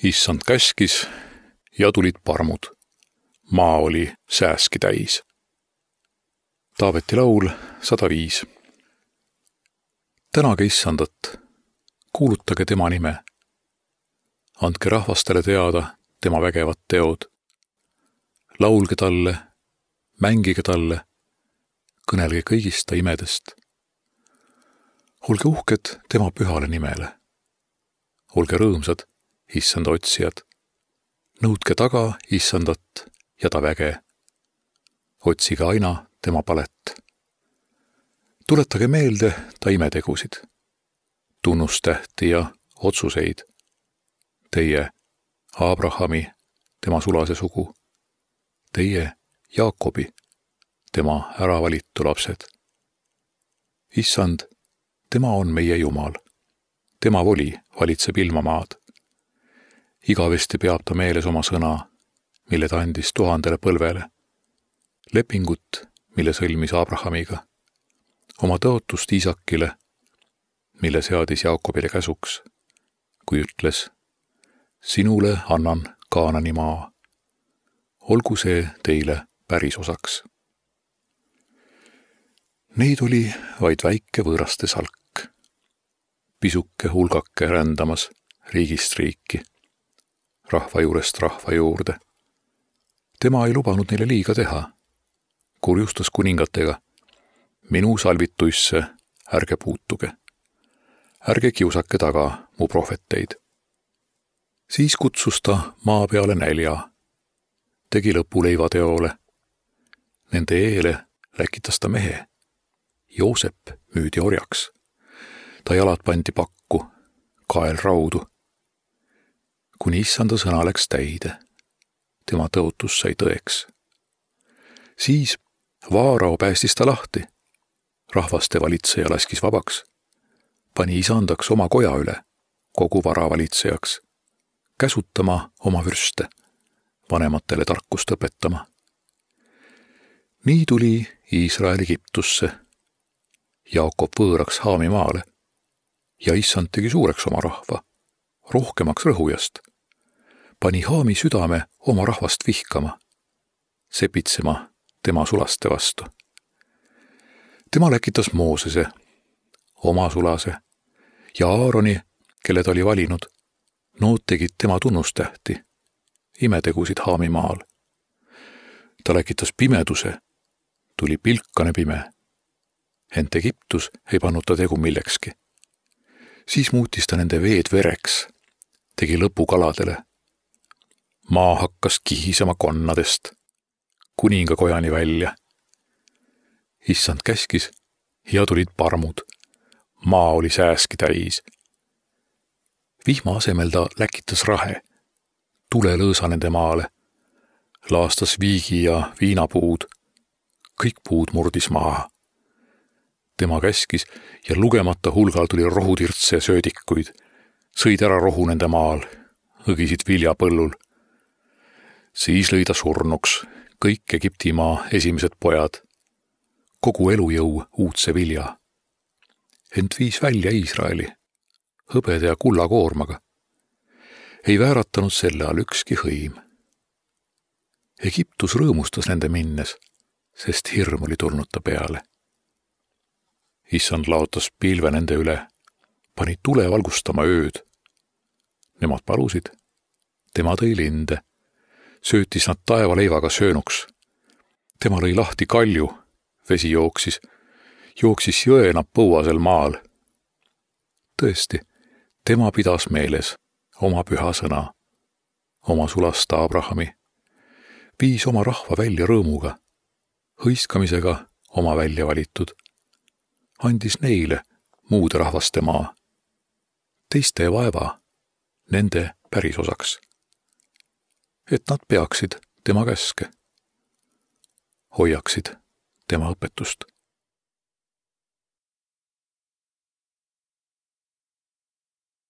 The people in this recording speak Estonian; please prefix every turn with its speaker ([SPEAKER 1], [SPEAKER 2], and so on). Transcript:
[SPEAKER 1] Issand käskis ja tulid parmud. Maa oli sääski täis. Taaveti laul 105. Tänage Issandat, kuulutage tema nime. Andke rahvastele teada tema vägevad teod. Laulge talle, mängige talle, kõnelge kõigist ta imedest. Olge uhked tema pühale nimele. Olge rõõmsad, Issanda otsijad. Nõudke taga Issandat ja ta väge. Otsige aina tema palet. Tuletage meelde ta imetegusid, tunnustähti ja otsuseid. Teie, Abrahami, tema sulase sugu. Teie, Jaakobi, tema äravalitu lapsed. Issand, tema on meie Jumal. Tema voli valitseb ilmamaad. Igavesti peab ta meeles oma sõna, mille ta andis 1000 põlvele. Lepingut, mille sõlmis Abrahamiga. Oma tõotust Iisakile, mille seadis Jaakobile käsuks, kui ütles: sinule annan Kaanani maa. Olgu see teile päris osaks. Neid oli vaid väike võõraste salk. Pisuke hulgake rändamas riigist riiki, rahva juurest rahva juurde. Tema ei lubanud neile liiga teha. Kurjustas kuningatega: minu salvituisse ärge puutuge. Ärge kiusake taga mu prohveteid. Siis kutsus ta maa peale nälja. Tegi lõpu leivateole. Nende eele läkitas ta mehe. Joosep müüdi orjaks. Ta jalad pandi pakku, kael raudu. Kuni Issanda sõna läks täide. Tema tõotus sai tõeks. Siis Vaarao päästis ta lahti. Rahvaste valitseja laskis vabaks. Pani isandaks oma koja üle, kogu vara valitsejaks. Käsutama oma vürste, vanematele tarkust õpetama. Nii tuli Iisrael Egiptusse. Jaakob võõraks Haami maale. Ja Issand tegi suureks oma rahva, rohkemaks rõhujast. Pani Haami südame oma rahvast vihkama, sepitsema tema sulaste vastu. Tema läkitas Moosese, oma sulase, ja Aaroni, kelle ta oli valinud. Nood tegid tema tunnustähti, imetegusid Haami maal. Ta läkitas pimeduse, tuli pilkane pime. Ent Egiptus ei pannud ta tegu millekski. Siis muutis ta nende veed vereks, tegi lõpu kaladele. Maa hakkas kihisema konnadest, kuningakojani välja. Issand käskis ja tulid parmud. Maa oli sääski täis. Vihma asemel ta läkitas rahe, tule lõõsa nende maale. Laastas viigi ja viinapuud. Kõik puud murdis maha. Tema käskis ja lugemata hulgal tuli rohutirtse söödikuid. Sõid ära rohu nende maal, õgisid viljapõllul. Siis lõi ta surnuks kõik Egiptimaa esimesed pojad. Kogu elujõu uudse vilja. Ent viis välja Iisraeli, hõbede ja kullakoormaga. Ei vääratanud selle all ükski hõim. Egiptus rõõmustas nende minnes, sest hirm oli tulnud ta peale. Issand laotas pilve nende üle, pani tule valgustama ööd. Nemad palusid, tema tõi linde, söötis nad taevaleivaga söönuks. Tema lõi lahti kalju, vesi jooksis jõena põuasel maal. Tõesti, tema pidas meeles oma püha sõna, oma sulasta Abrahami, viis oma rahva välja rõõmuga, hõiskamisega oma välja valitud, andis neile muude rahvaste maa, teiste vaeva, nende päris osaks, et nad peaksid tema käske, hoiaksid tema õpetust.